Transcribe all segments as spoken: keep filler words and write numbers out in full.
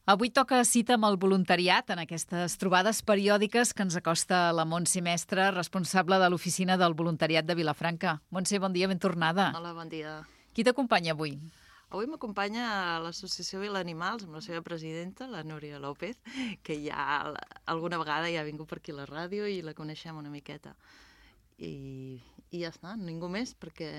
Avui toca cita amb el voluntariat en aquestes trobades periòdiques que ens acosta la Montse Mestre, responsable de l'Oficina del Voluntariat de Vilafranca. Montse, bon dia, ben tornada. Hola, bon dia. Qui t'acompanya avui? Avui m'acompanya l'Associació Vilanimals amb la seva presidenta, la Núria López, que ja alguna vegada ja ha vingut per aquí a la ràdio i la coneixem una miqueta. I, i ja està, ningú més, perquè...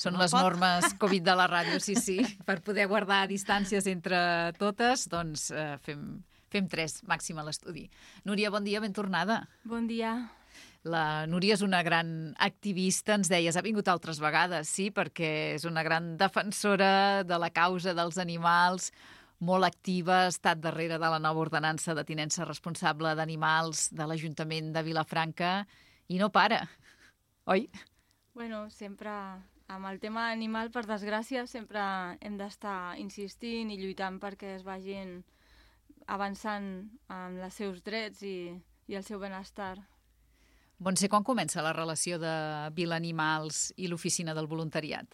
Són no les pot. normes Covid de la ràdio, sí, sí. Per poder guardar distàncies entre totes, doncs eh, fem, fem tres, màxim a l'estudi. Núria, bon dia, ben tornada. Bon dia. La Núria és una gran activista, ens deies, ha vingut altres vegades, sí, perquè és una gran defensora de la causa dels animals, molt activa, ha estat darrere de la nova ordenança de tinença responsable d'animals de l'Ajuntament de Vilafranca i no para, oi? Bueno, sempre amb el tema animal, per desgràcia, sempre hem d'estar insistint i lluitant perquè es vagin avançant amb els seus drets i, i el seu benestar. Montse, quan comença la relació de Vilanimals i l'Oficina del Voluntariat?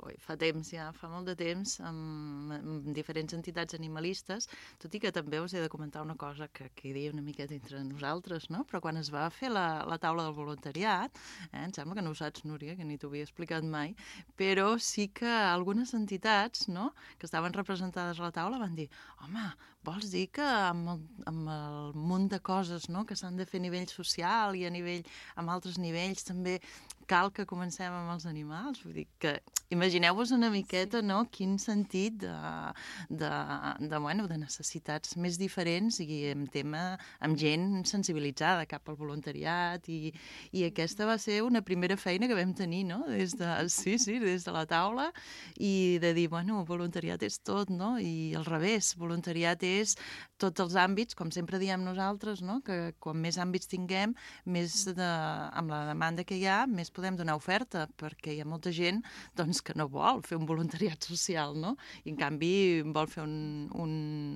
Ui, fa temps ja, fa molt de temps, amb, amb diferents entitats animalistes, tot i que també us he de comentar una cosa que quedi una miqueta entre nosaltres, no? Però quan es va fer la, la taula del voluntariat, eh, em sembla que no ho saps, Núria, que ni t'ho havia explicat mai, però sí que algunes entitats, no?, que estaven representades a la taula van dir, home, vols dir que amb el, amb el munt de coses, no?, que s'han de fer a nivell social i a nivell, amb altres nivells també cal que comencem amb els animals? Vull dir que imagineu-vos una miqueta, no?, quin sentit de, de, de, bueno, de necessitats més diferents i amb tema, amb gent sensibilitzada cap al voluntariat i, i aquesta va ser una primera feina que vam tenir, no?, des de, sí, sí, des de la taula i de dir, bueno, voluntariat és tot, no?, i al revés, voluntariat és tots els àmbits, com sempre diem nosaltres, no?, que quan més àmbits tinguem, més de, amb la demanda que hi ha, més podem donar oferta, perquè hi ha molta gent doncs, que no vol fer un voluntariat social, no? I en canvi vol fer un, un,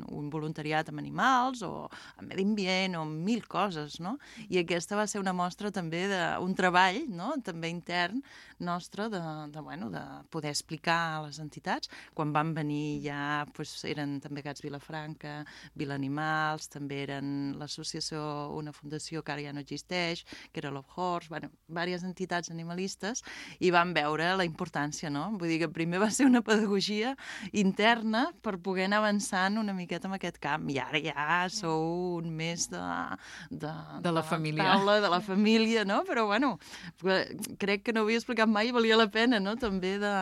un voluntariat amb animals o amb medi ambient o amb mil coses, no? I aquesta va ser una mostra també d'un treball, no?, també intern nostre de, de, bueno, de poder explicar a les entitats. Quan van venir ja doncs, eren també Gats Vilafranca, Vilanimals, també eren l'associació, una fundació que ara ja no existeix, que era Love Horse, bueno, diverses entitats animalistes, i van veure la importància, no? Vull dir que primer va ser una pedagogia interna per poder anar avançant una miqueta en aquest camp, i ara ja sou un més de... De, de la de família. Taula, de la família, no? Però, bueno, crec que no havia explicat mai i valia la pena, no?, també de...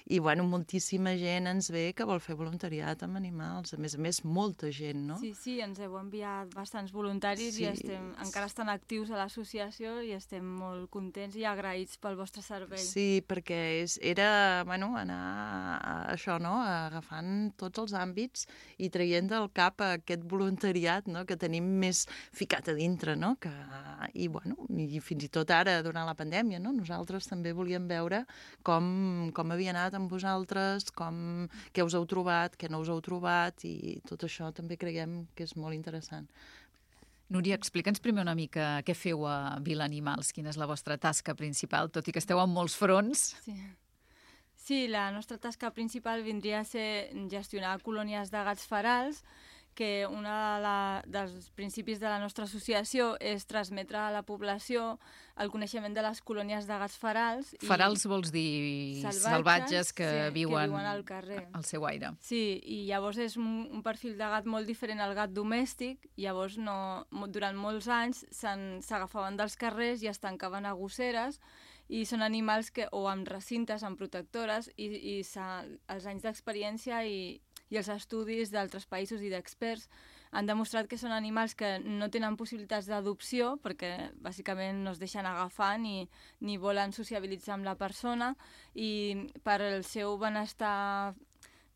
I, bueno, moltíssima gent ens ve que vol fer voluntariat amb animals, a més a més, molta gent, no? Sí, sí, ens heu enviat bastants voluntaris Sí. i estem, encara estan actius a l'associació i estem molt contents i agraïts pel vostre servei. Sí, perquè és, era, bueno, anar a això, no?, agafant tots els àmbits i traient del cap aquest voluntariat, no?, que tenim més ficat a dintre, no?, que, i, bueno, i fins i tot ara, durant la pandèmia, no?, nosaltres també volíem veure com, com havia anat amb vosaltres, com, què us heu trobat, què no us heu trobat, i tot això també creiem que és molt interessant. Núria, explica'ns primer una mica què feu a Vilanimals, quina és la vostra tasca principal, tot i que esteu en molts fronts. Sí. Sí, la nostra tasca principal vindria a ser gestionar colònies de gats ferals, que un de dels principis de la nostra associació és transmetre a la població el coneixement de les colònies de gats ferals. Ferals vols dir salvatges, salvatges que, sí, viuen que viuen al carrer. Al seu aire. Sí, i llavors és un, un perfil de gat molt diferent al gat domèstic, llavors no, durant molts anys s'agafaven dels carrers i es tancaven a gosseres, i són animals que, o amb recintes, amb protectores, i, i els anys d'experiència i, i els estudis d'altres països i d'experts han demostrat que són animals que no tenen possibilitats d'adopció perquè bàsicament no es deixen agafar ni, ni volen sociabilitzar amb la persona, i per al seu benestar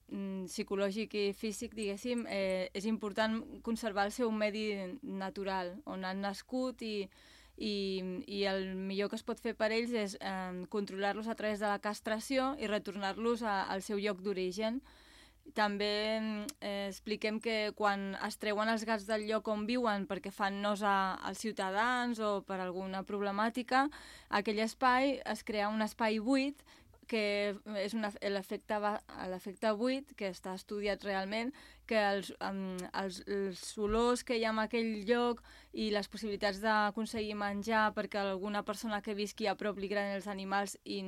psicològic i físic, diguéssim, eh, és important conservar el seu medi natural on han nascut, i I, i el millor que es pot fer per ells és eh, controlar-los a través de la castració i retornar-los a, al seu lloc d'origen. També eh, expliquem que quan es treuen els gats del lloc on viuen perquè fan nosa als ciutadans o per alguna problemàtica, aquell espai es crea un espai buit que és una, l'efecte va- l'efecte buit, que està estudiat realment, que els, um, els, els olors que hi ha en aquell lloc i les possibilitats d'aconseguir menjar perquè alguna persona que visqui a prop li agraden els animals i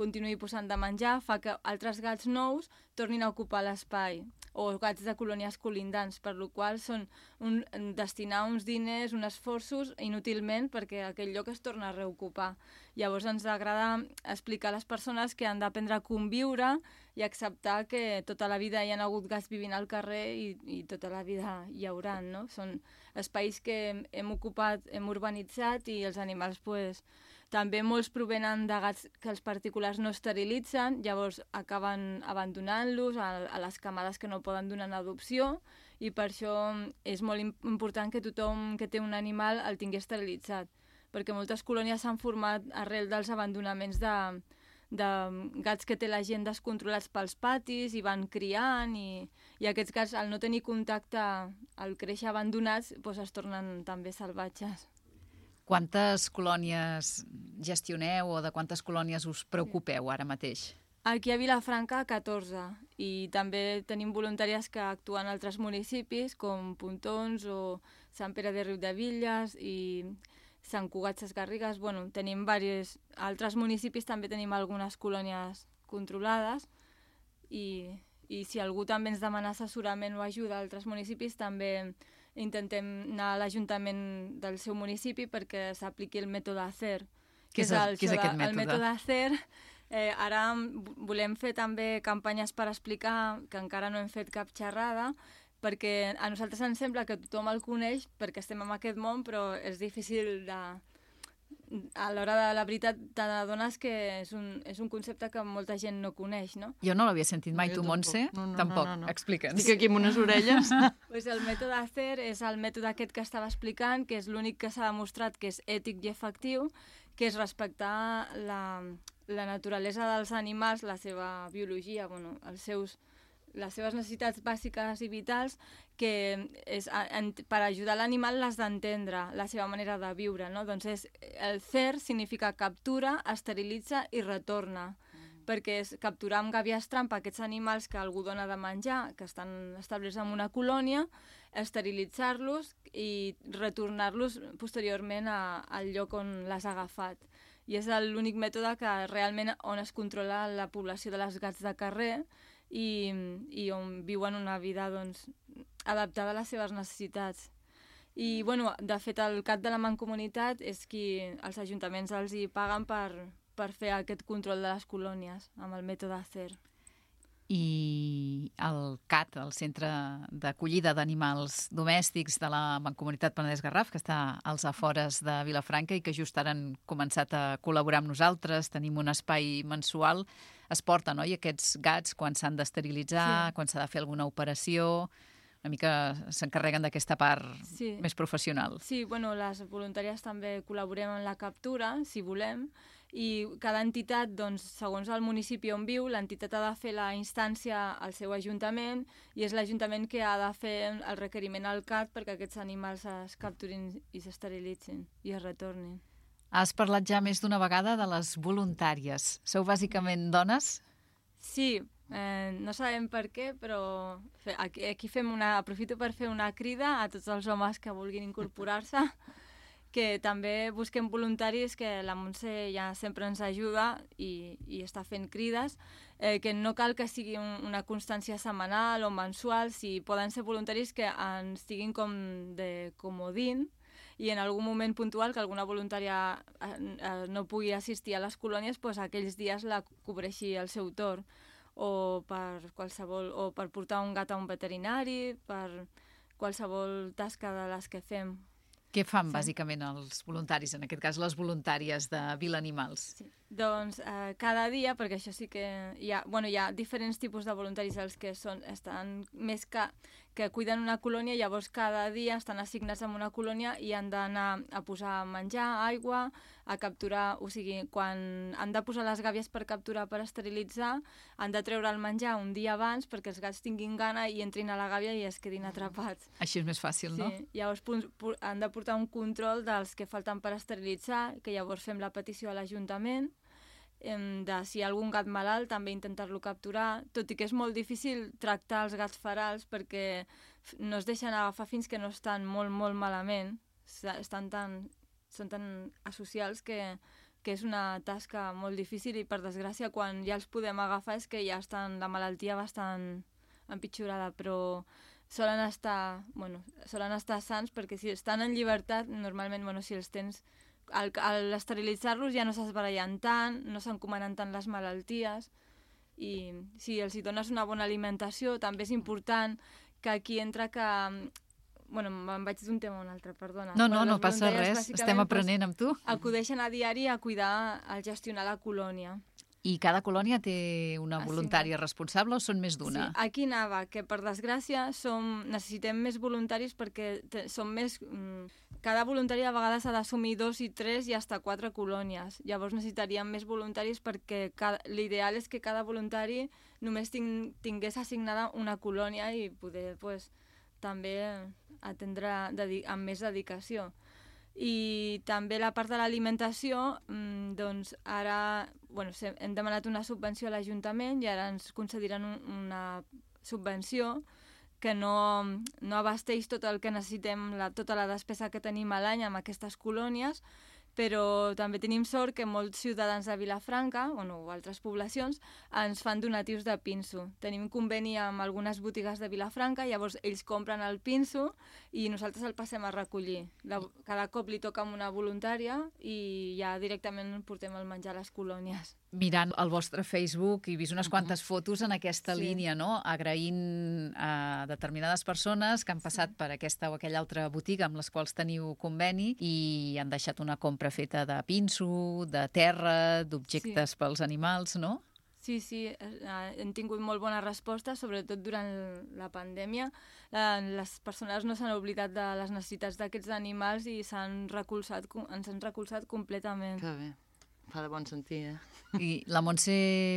continuï posant de menjar, fa que altres gats nous tornin a ocupar l'espai, o gats de colònies colindants, per lo qual són un, destinar uns diners, uns esforços inútilment perquè aquell lloc es torna a reocupar. Llavors ens agrada explicar a les persones que han d'aprendre a conviure i acceptar que tota la vida hi ha hagut gats vivint al carrer i, i tota la vida hi haurà, no? Són espais que hem, hem ocupat, hem urbanitzat i els animals, pues, també molts provenen de gats que els particulars no esterilitzen, llavors acaben abandonant-los a, a les camades que no poden donar en adopció i per això és molt important que tothom que té un animal el tingui esterilitzat, perquè moltes colònies s'han format arrel dels abandonaments de, de gats que té la gent descontrolats pels patis i van criant i, i aquests gats al no tenir contacte al créixer abandonats doncs es tornen també salvatges. Quantes colònies gestioneu o de quantes colònies us preocupeu ara mateix? Aquí a Vilafranca, catorze, i també tenim voluntàries que actuen a altres municipis, com Pontons o Sant Pere de Riudebitlles i Sant Cugat Sesgarrigues. Bueno, tenim diversos... A altres municipis també tenim algunes colònies controlades i, i si algú també ens demana assessorament o ajuda a altres municipis, també intentem anar a l'Ajuntament del seu municipi perquè s'apliqui el mètode A C E R. Què és, el, què és aquest mètode? El mètode A C E R, eh, ara volem fer també campanyes per explicar, que encara no hem fet cap xerrada, perquè a nosaltres ens sembla que tothom el coneix perquè estem en aquest món, però és difícil de... A l'hora de la veritat t'adones que és un, és un concepte que molta gent no coneix, no? Jo no l'havia sentit mai, tu, Montse? No, no, tampoc. No, no, no. Explica'ns. Estic aquí amb unes orelles. Pues el mètode A C E R és el mètode aquest que estava explicant, que és l'únic que s'ha demostrat que és ètic i efectiu, que és respectar la, la naturalesa dels animals, la seva biologia, bueno, els seus, les seves necessitats bàsiques i vitals, que és, en, per ajudar l'animal l'has d'entendre, la seva manera de viure, no? Doncs és, el C E R significa captura, esterilitza i retorna, mm. perquè és capturar amb gàbies trampa aquests animals que algú dona de menjar, que estan establerts en una colònia, esterilitzar-los i retornar-los posteriorment a, al lloc on l'has agafat. I és l'únic mètode que realment on es controla la població de les gats de carrer i, i on viuen una vida doncs, adaptada a les seves necessitats. I, bueno, de fet, el cap de la Mancomunitat és qui els ajuntaments els hi paguen per, per fer aquest control de les colònies amb el mètode A C E R. I el C A T, el Centre d'Acollida d'Animals Domèstics de la Mancomunitat Penedès-Garraf, que està als afores de Vilafranca i que just ara han començat a col·laborar amb nosaltres, tenim un espai mensual, es porten, oi, aquests gats quan s'han d'esterilitzar, sí. quan s'ha de fer alguna operació, una mica s'encarreguen d'aquesta part sí. més professional. Sí, bueno, les voluntàries també col·laborem en la captura, si volem, i cada entitat, doncs, segons el municipi on viu, l'entitat ha de fer la instància al seu ajuntament i és l'Ajuntament que ha de fer el requeriment al C A T perquè aquests animals es capturin i s'esterilitzin i es retornin. Has parlat ja més d'una vegada de les voluntàries. Sou bàsicament dones? Sí, eh, no sabem per què, però aquí, aquí fem una, aprofito per fer una crida a tots els homes que vulguin incorporar-se, que també busquem voluntaris, que la Montse ja sempre ens ajuda i, i està fent crides, eh, que no cal que sigui un, una constància setmanal o mensual, si poden ser voluntaris que ens estiguin com de comodín i en algun moment puntual que alguna voluntària eh, eh, no pugui assistir a les colònies, doncs aquells dies la cobreixi al seu torn, o per qualsevol, o per portar un gat a un veterinari, per qualsevol tasca de les que fem. Què fan, sí. bàsicament, els voluntaris, en aquest cas les voluntàries de Vila Animals? Sí. Doncs eh, cada dia, perquè això sí que hi ha, bueno, hi ha diferents tipus de voluntaris, els que són, estan més que, que cuiden una colònia, llavors cada dia estan assignats en una colònia i han d'anar a posar menjar, aigua, a capturar, o sigui, quan han de posar les gàbies per capturar, per esterilitzar, han de treure el menjar un dia abans perquè els gats tinguin gana i entrin a la gàbia i es quedin atrapats. Així és més fàcil, sí. no? Llavors han de portar un control dels que falten per esterilitzar, que llavors fem la petició a l'Ajuntament, de si hi ha algun gat malalt, també intentar-lo capturar, tot i que és molt difícil tractar els gats ferals perquè no es deixen agafar fins que no estan molt, molt malament, estan tan, són tan asocials que, que és una tasca molt difícil i, per desgràcia, quan ja els podem agafar és que ja estan la malaltia bastant empitjorada, però solen estar, bueno, solen estar sans perquè si estan en llibertat, normalment, bueno, si els tens... Al, al esterilitzar-los ja no s'esbarallen tant, no s'encomanen tant les malalties i si els hi dones una bona alimentació també és important que aquí entra que... Bueno, me'n vaig d'un tema a un altre, perdona. No, no, bueno, no passa res, estem aprenent amb tu. Acudeixen a diari a cuidar, a gestionar la colònia. I cada colònia té una voluntària sí. responsable o són més d'una? Sí, aquí anava, que per desgràcia som, necessitem més voluntaris perquè te, som més... Mm, cada voluntari a vegades ha d'assumir dos i tres i fins quatre colònies. Llavors necessitaríem més voluntaris perquè l'ideal és que cada voluntari només ting, tingués assignada una colònia i poder pues, també atendre amb més dedicació. I també la part de l'alimentació, doncs ara bueno, hem demanat una subvenció a l'Ajuntament i ara ens concediran un, una subvenció que no, no abasteix tot el que necessitem, la, tota la despesa que tenim a l'any amb aquestes colònies, però també tenim sort que molts ciutadans de Vilafranca, bueno, o altres poblacions, ens fan donatius de pinso. Tenim conveni amb algunes botigues de Vilafranca, llavors ells compren el pinso i nosaltres el passem a recollir. La, cada cop li toca amb una voluntària i ja directament portem el menjar a les colònies. Mirant el vostre Facebook he vist unes quantes fotos en aquesta sí. línia, no? Agraint a determinades persones que han passat sí. per aquesta o aquella altra botiga amb les quals teniu conveni i han deixat una compra feta de pinso, de terra, d'objectes sí. pels animals, no? Sí, sí, hem tingut molt bona resposta, sobretot durant la pandèmia. Les persones no s'han oblidat de les necessitats d'aquests animals i s'han recolzat, ens han recolzat completament. Que bé. Fa de bon sentir, eh? I la Montse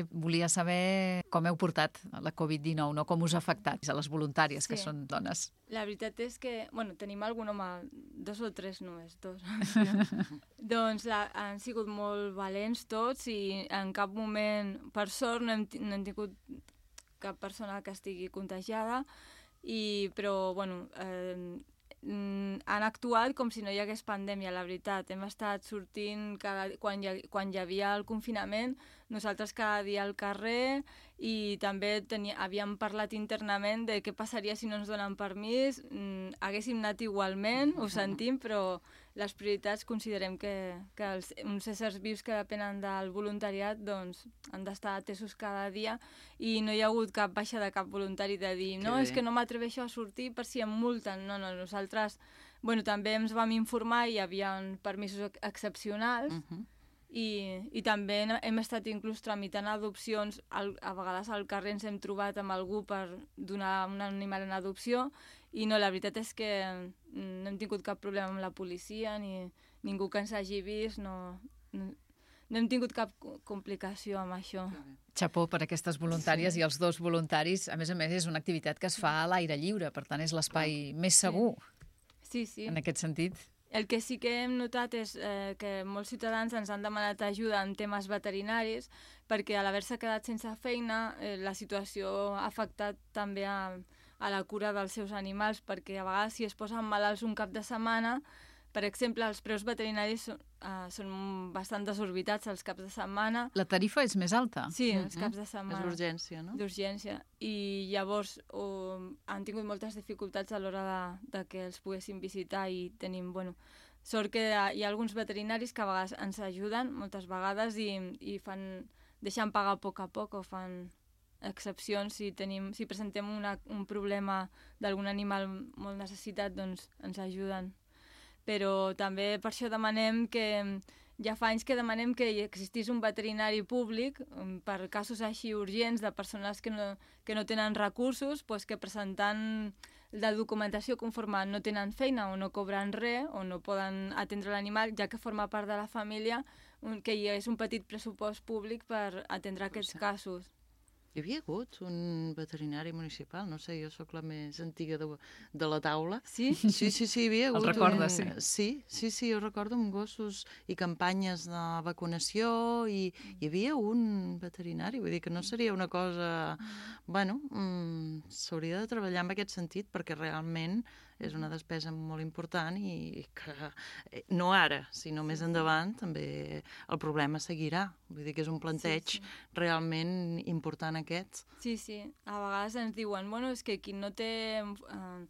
volia saber com heu portat la covid dinou, no? Com us ha afectat a les voluntàries, sí. que són dones. La veritat és que, bueno, tenim algun home, dos o tres només, dos. doncs la, han sigut molt valents tots i en cap moment, per sort, no hem, no hem tingut cap persona que estigui contagiada, i, però, bueno... Eh, han actuat com si no hi hagués pandèmia, la veritat. Hem estat sortint cada, quan, hi, quan hi havia el confinament, nosaltres cada dia al carrer i també tenia, havíem parlat internament de què passaria si no ens donen permís. Mm, haguéssim anat igualment, ho sentim, però les prioritats considerem que, que els, uns éssers vius que depenen del voluntariat doncs, han d'estar atesos cada dia i no hi ha hagut cap baixa de cap voluntari de dir no, és que no m'atreveixo a sortir per si em multen. No, no, nosaltres bueno, també ens vam informar i hi havia permisos excepcionals uh-huh. i, i també hem estat inclús tramitant adopcions. Al, a vegades al carrer ens hem trobat amb algú per donar un animal en adopció i no, la veritat és que no hem tingut cap problema amb la policia ni ningú que ens hagi vist, no, no, no hem tingut cap complicació amb això. Xapó per aquestes voluntàries sí. i els dos voluntaris. A més a més, és una activitat que es fa a l'aire lliure, per tant és l'espai més segur. Sí, sí. En aquest sentit. El que sí que hem notat és eh, que molts ciutadans ens han demanat ajuda en temes veterinaris perquè a l'haver-se quedat sense feina eh, la situació ha afectat també a, a la cura dels seus animals, perquè a vegades si es posen malalts un cap de setmana, per exemple, els preus veterinaris són, uh, són bastant desorbitats els caps de setmana. La tarifa és més alta? Sí, els caps de setmana. És d'urgència, no? D'urgència. I llavors oh, han tingut moltes dificultats a l'hora de, de que els poguessin visitar i tenim, bueno, sort que hi ha alguns veterinaris que a vegades ens ajuden, moltes vegades, i, i fan, deixen pagar a poc a poc o fan excepcions. Si, tenim, si presentem una, un problema d'algun animal molt necessitat, doncs ens ajuden. Però també per això demanem que, ja fa anys que demanem que existís un veterinari públic per casos així urgents de persones que no, que no tenen recursos, doncs que presentant la documentació conforme no tenen feina o no cobren res o no poden atendre l'animal, ja que forma part de la família, que hi hagués un petit pressupost públic per atendre aquests casos. Hi havia hagut un veterinari municipal, no sé, jo sóc la més antiga de, de la taula. Sí? Sí, sí, sí, hi havia hagut... El recordes, un... sí. Sí, sí, sí, jo recordo amb gossos i campanyes de vacunació i hi havia un veterinari, vull dir que no seria una cosa... Bueno, mmm, s'hauria de treballar en aquest sentit perquè realment és una despesa molt important i que no ara, sinó més endavant també el problema seguirà. Vull dir que és un planteig Sí, sí. realment important aquest. Sí, sí. A vegades ens diuen, bueno, és que qui no té eh,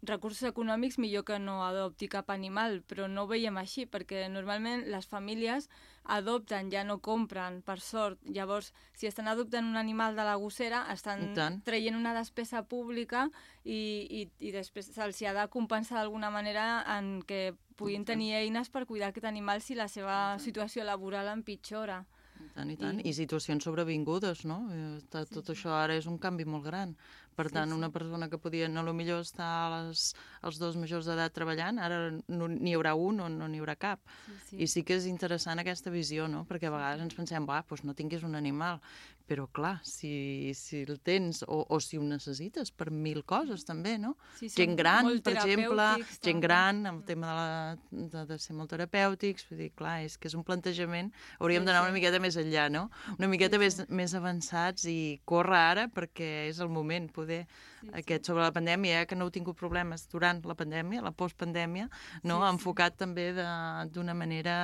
recursos econòmics millor que no adopti cap animal, però no ho veiem així, perquè normalment les famílies adopten, ja no compren, per sort. Llavors, si estan adoptant un animal de la gossera, estan traient una despesa pública i, i, i després se'ls ha de compensar d'alguna manera en què puguin tenir eines per cuidar aquest animal si la seva situació laboral empitjora. I tant, i tant. I, I situacions sobrevingudes, no? Tot, tot sí, això ara és un canvi molt gran. Per tant, sí, sí. Una persona que podia, no, potser estar a les, als dos majors d'edat treballant, ara no n'hi haurà un o no n'hi haurà cap. Sí, sí. I sí que és interessant aquesta visió, no? Perquè a vegades ens pensem, va, doncs no tinguis un animal. Però, clar, si, si el tens o, o si ho necessites per mil coses, també, no? Sí, gent gran, per exemple, gent gran, el tema de, la, de, de ser molt terapèutics, vull dir, clar, és que és un plantejament, hauríem d'anar una miqueta més enllà, no? Una miqueta sí, sí. Més, més avançats i córrer ara perquè és el moment, poder, sí, aquest sí. Sobre la pandèmia, eh, que no heu tingut problemes durant la pandèmia, la postpandèmia, no? Sí, enfocat sí. També d'una manera...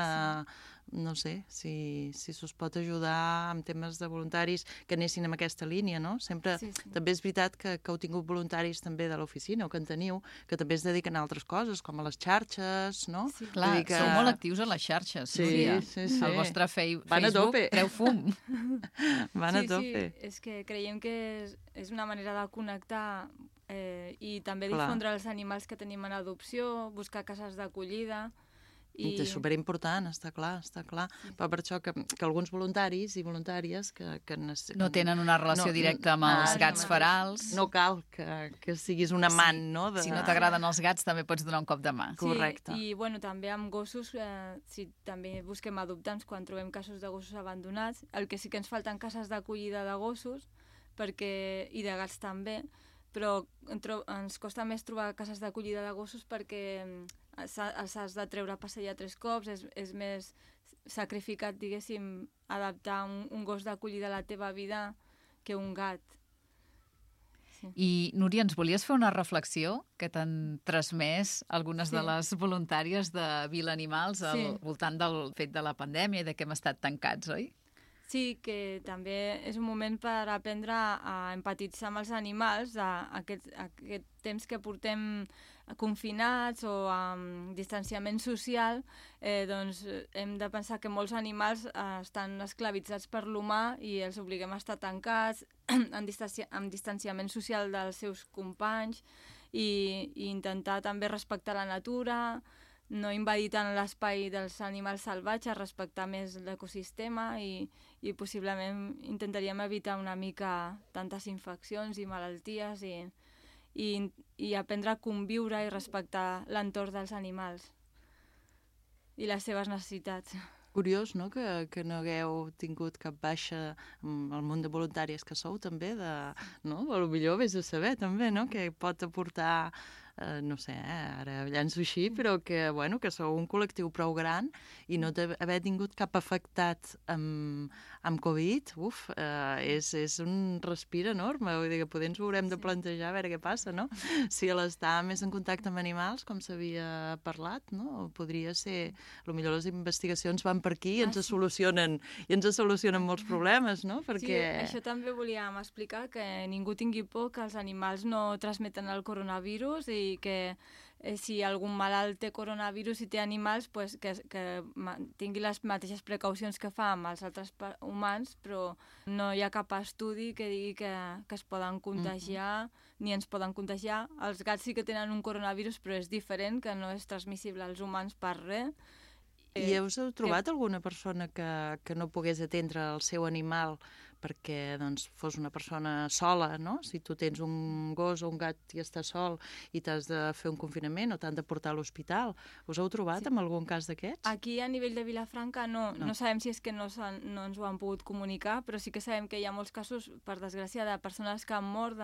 Sí. No sé, si, si s'us pot ajudar amb temes de voluntaris que anessin en aquesta línia, no? Sempre, sí, sí. També és veritat que, que heu tingut voluntaris també de l'oficina, o que en teniu, que també es dediquen a altres coses, com a les xarxes, no? Sí, clar, que... sou molt actius a les xarxes, sí, Núria. Sí, sí. El vostre fei... Van Facebook a treu fum. Van sí, a tope. Sí, és que creiem que és, és una manera de connectar eh, i també difondre clar. Els animals que tenim en adopció, buscar cases d'acollida... I... És superimportant, està clar, està clar. Sí. Però per això que, que alguns voluntaris i voluntàries que... que no tenen una relació no, directa amb els ah, gats ferals. No cal que, que siguis un amant, sí. no? De... Si no t'agraden els gats, també pots donar un cop de mà. Sí, correcte. I bueno, també amb gossos, eh, si també busquem adoptants quan trobem casos de gossos abandonats, el que sí que ens falten cases d'acollida de gossos, perquè i de gats també, però ens costa més trobar cases d'acollida de gossos perquè els has de treure a passejar tres cops, és, és més sacrificat, diguéssim, adaptar un, un gos d'acollida a la teva vida que un gat. Sí. I, Núria, ens volies fer una reflexió que t'han transmès algunes sí. de les voluntàries de Vila Animals al sí. voltant del fet de la pandèmia i de que hem estat tancats, oi? Sí, que també és un moment per aprendre a empatitzar amb els animals, a aquest, a aquest temps que portem confinats o amb distanciament social, eh, doncs hem de pensar que molts animals eh, estan esclavitzats per l'humà i els obliguem a estar tancats, amb, distanci amb distanciament social dels seus companys i, i intentar també respectar la natura, no invadir tant l'espai dels animals salvatges, respectar més l'ecosistema i, i possiblement intentaríem evitar una mica tantes infeccions i malalties i, i, i aprendre a conviure i respectar l'entorn dels animals i les seves necessitats. Curiós, no?, que, que no hagueu tingut cap baixa amb el món de voluntàries que sou, també, de, no? O potser vés a saber, també, no?, que pot aportar... Uh, no sé, eh, ara llanço així, però que, bueno, que sou un col·lectiu prou gran i no haver tingut cap afectat amb, amb Covid, uf, uh, és, és un respir enorme, vull dir que potser ens ho haurem de plantejar a veure què passa, no? Si l'estar més en contacte amb animals, com s'havia parlat, no? Podria ser... Potser les investigacions van per aquí i ens ah, sí. solucionen i ens solucionen molts problemes, no? Perquè... Sí, això també volíem explicar, que ningú tingui por que els animals no transmeten el coronavirus i i que eh, si algun malalt té coronavirus i té animals, pues, que, que tingui les mateixes precaucions que fa amb els altres humans, però no hi ha cap estudi que digui que, que es poden contagiar, mm-hmm. ni ens poden contagiar. Els gats sí que tenen un coronavirus, però és diferent, que no és transmissible als humans per res. I us heu trobat que... alguna persona que, que no pogués atendre el seu animal perquè doncs, fos una persona sola, no? Si tu tens un gos o un gat i està sol i t'has de fer un confinament o t'han de portar a l'hospital. Us heu trobat Sí. amb algun cas d'aquests? Aquí, a nivell de Vilafranca, no, No. no. no sabem si és que no, no ens ho han pogut comunicar, però sí que sabem que hi ha molts casos, per desgràcia, de persones que han mort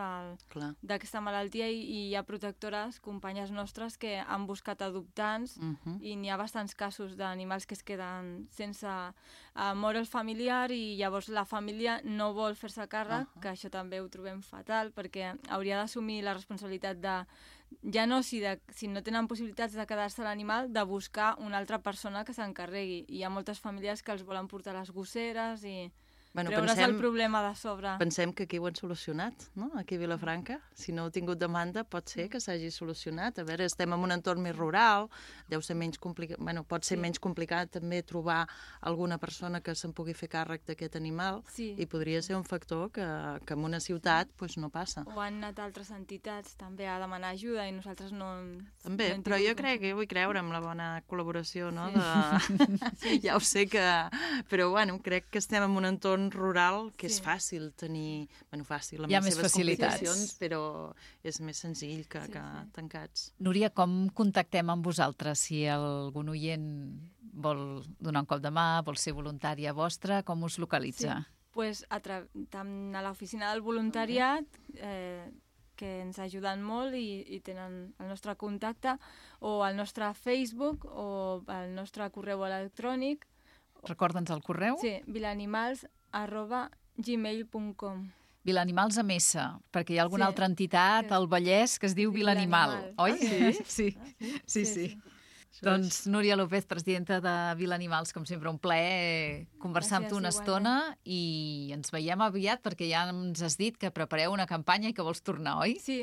d'aquesta malaltia i, i hi ha protectores, companyes nostres, que han buscat adoptants Uh -huh. i n'hi ha bastants casos d'animals que es queden sense uh, mort el familiar i llavors la família no vol fer-se càrrec, uh -huh. que això també ho trobem fatal, perquè hauria d'assumir la responsabilitat de, ja no si, de, si no tenen possibilitats de quedar-se l'animal, de buscar una altra persona que s'encarregui. Hi ha moltes famílies que els volen portar a les gosseres i Bueno, treure's pensem, el problema de sobre. pensem que aquí ho han solucionat, no? Aquí a Vilafranca. Si no heu tingut demanda, pot ser que s'hagi solucionat. A veure, estem en un entorn més rural, deu ser menys complicat, bueno, pot ser Sí. menys complicat també trobar alguna persona que se'n pugui fer càrrec d'aquest animal Sí. i podria ser un factor que, que en una ciutat pues, no passa. O han anat altres entitats també a demanar ajuda i nosaltres no... També, no hem però tingut jo crec que vull creure en la bona col·laboració, no? Sí. De... ja ho sé que... Però, bueno, crec que estem en un entorn rural que Sí. és fàcil tenir... Bueno, fàcil, amb Hi ha les més seves facilitats. complicacions, però és més senzill que, Sí, que sí. tancats. Núria, com contactem amb vosaltres? Si algun oient vol donar un cop de mà, vol ser voluntària vostra, com us localitza? Sí. Pues a, tra... tant a l'oficina del voluntariat, eh, que ens ajuden molt i, i tenen el nostre contacte, o al nostre Facebook, o al nostre correu electrònic. Recorda'ns el correu? Sí, vilanimals arroba gmail punt com. Vilanimals amb S, perquè hi ha alguna Sí. altra entitat al Vallès que es diu Vilanimal, Vilanimal. oi? Ah, sí? Sí, sí, sí. Això Doncs Núria López, presidenta de Vilanimals, com sempre, un plaer conversar amb Gràcies, tu una igualment. estona i ens veiem aviat perquè ja ens has dit que prepareu una campanya i que vols tornar, oi? Sí.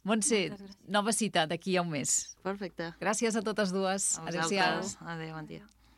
Montse, Moltes gràcies. nova cita d'aquí a un mes. Perfecte. Gràcies a totes dues. A Adéu-siau. vosaltres. Adéu, bon dia.